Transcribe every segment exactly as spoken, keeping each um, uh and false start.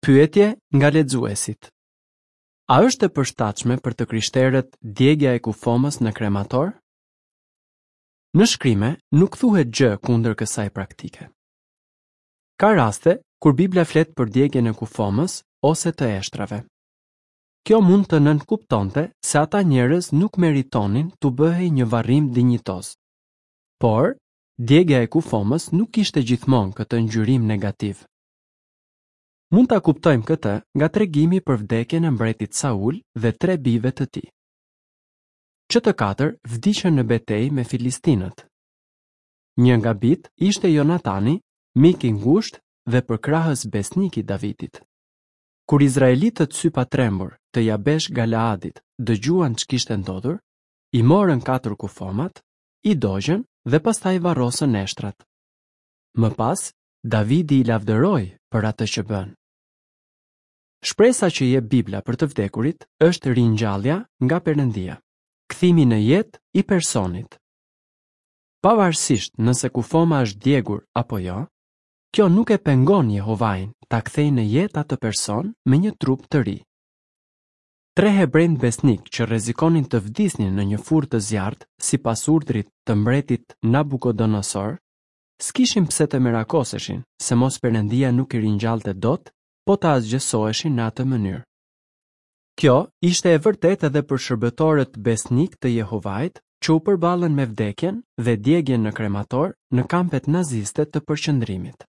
Pyetje nga lexuesit. A është e përshtatshme për të krishterët djegia e kufomës në kremator? Në shkrime nuk thuhet gjë kundër kësaj praktike. Ka raste kur Bibla flet për djegien e kufomës ose të eshtrave. Kjo mund të nënkuptonte se ata njerëz nuk meritonin t'u bëhej një varrim dinjitoz. Por, djegia e kufomës nuk kishte gjithmonë këtë ngjyrim negativ. Mund ta kuptojmë këtë nga tregimi për vdekjen e mbretit Saul dhe tre bijve të tij. Që të katër vdiqën në betejë me filistinët. Një nga bijtë ishte Jonatani, mik i ngushtë dhe përkrahës besnik i Davidit. Kur izraelitët sypatrembur të Jabesh Galaadit dëgjuan ç'kishte ndodhur, i morën katër kufomat, i dogjën dhe pastaj varrosën eshtrat. Më pas, Davidi i lavdëroi për atë që bënë. Shpresa që jep Bibla për të vdekurit është ringjallja nga Perëndia, kthimi në jetë i personit. Pavarësisht nëse kufoma është djegur apo jo, kjo nuk e pengon Jehovain ta kthejë në jetë atë person me një trup të ri. Tre hebrenjtë besnik që rrezikonin të vdisnin në një furrë të zjarrtë sipas urdhrit të mbretit Nabukodonosor, s'kishin pse të merakoseshin se mos Perëndia nuk i ringjallte dot, po të asgjësoheshin në atë mënyrë. Kjo ishte e vërtetë edhe për shërbëtorët besnik të Jehovait që u përballën me vdekjen dhe djegien në kremator në kampet naziste të përqendrimit.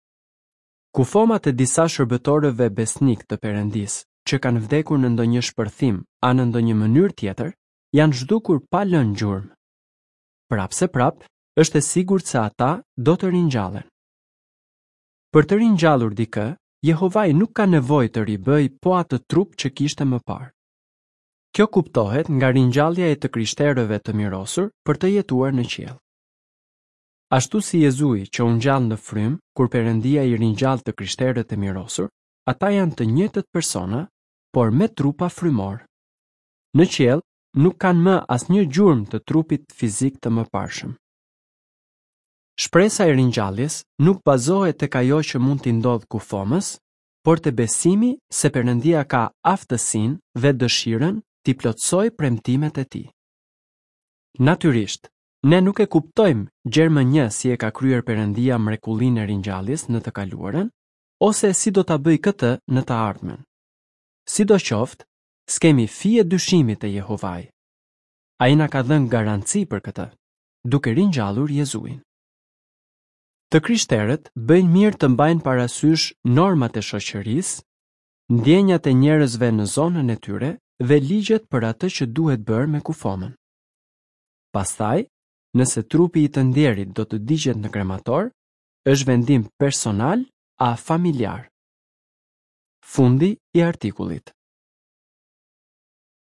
Kufomat e disa shërbëtorëve besnik të Perëndisë që kanë vdekur në ndonjë shpërthim a në ndonjë mënyrë tjetër, janë zhdukur pa lënë gjurmë. Prapëseprapë, është e sigurt se ata do të ringjallen. Për të ringjallur dikë, Jehovai nuk ka nevojë të ribëjë po atë trup që kishte më parë. Kjo kuptohet nga ringjallja e të krishterëve të mirosur për të jetuar në qiell. Ashtu si Jezui që u ngjall në frymë kur Perëndia i ringjall të krishterët e mirosur, ata janë të njëjtët persona, por me trupa frymor. Në qiell nuk kanë më asnjë gjurmë të trupit fizik të mëparshëm. Shpresa e ringjalljes nuk bazohet tek ajo që mund t'i ndodhë kufomës, por te besimi se Perëndia ka aftësinë dhe dëshirën t'i plotësojë premtimet e tij. Natyrisht, ne nuk e kuptojmë gjer më një si e ka kryer Perëndia mrekullinë e ringjalljes në të kaluarën, ose si do ta bëjë këtë në të ardhmen. Sidoqoftë, s'kemi fije dyshimi te Jehovai. Ai na ka dhënë garanci për këtë, duke ringjallur Jezuin. Të krishterët bëjnë mirë të mbajnë parasysh normat e shoqërisë, ndjenjat e njerëzve në zonën e tyre dhe ligjet për atë që duhet bërë me kufomën. Pastaj, nëse trupi i të ndjerit do të digjet në kremator, është vendim personal a familjar. Fundi i artikullit.